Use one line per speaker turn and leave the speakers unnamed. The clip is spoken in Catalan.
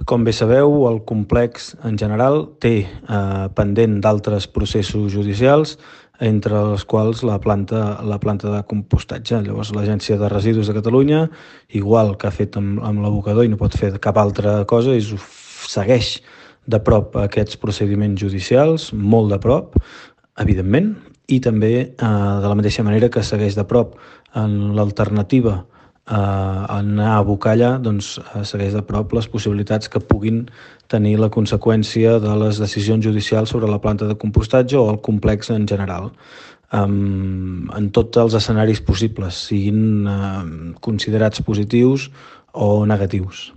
Com bé sabeu, el complex en general té pendent d'altres processos judicials, entre els quals la planta de compostatge. Llavors, l'Agència de Residus de Catalunya, igual que ha fet amb l'abocador i no pot fer cap altra cosa, segueix de prop aquests procediments judicials, molt de prop, evidentment, i també de la mateixa manera que segueix de prop en l'alternativa anar a abocar allà, doncs segueix de prop les possibilitats que puguin tenir la conseqüència de les decisions judicials sobre la planta de compostatge o el complex en general, en tots els escenaris possibles, siguin considerats positius o negatius.